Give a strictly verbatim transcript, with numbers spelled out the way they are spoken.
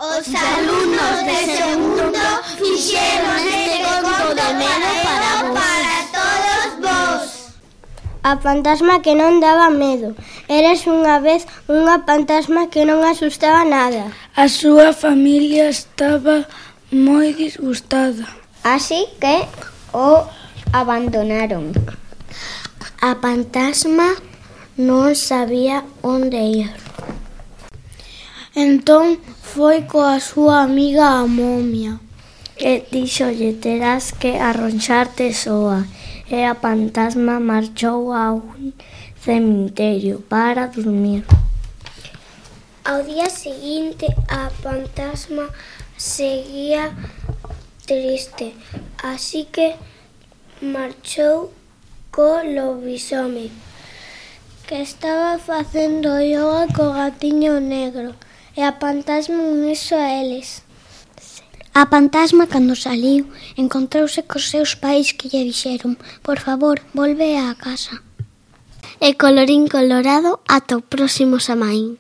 Os alumnos de segundo fixeron este conto de medo para vos. Para todos vos. A fantasma que non daba medo. Eres unha vez unha fantasma que non asustaba nada. A súa familia estaba moi disgustada. Así que o abandonaron. A fantasma non sabía onde ir. Entón foi coa súa amiga a momia e díxolle: terás que arronxarte soa. E a fantasma marchou a un cemiterio para dormir. Ao día seguinte a fantasma seguía triste, así que marchou co lobisome, que estaba facendo yoga co gatiño negro, e a fantasma uniso a eles. A fantasma, cando saliu, encontrouse cos seus pais que lle dixeron: por favor, volve á casa. E colorín colorado, ata o próximo Samaín.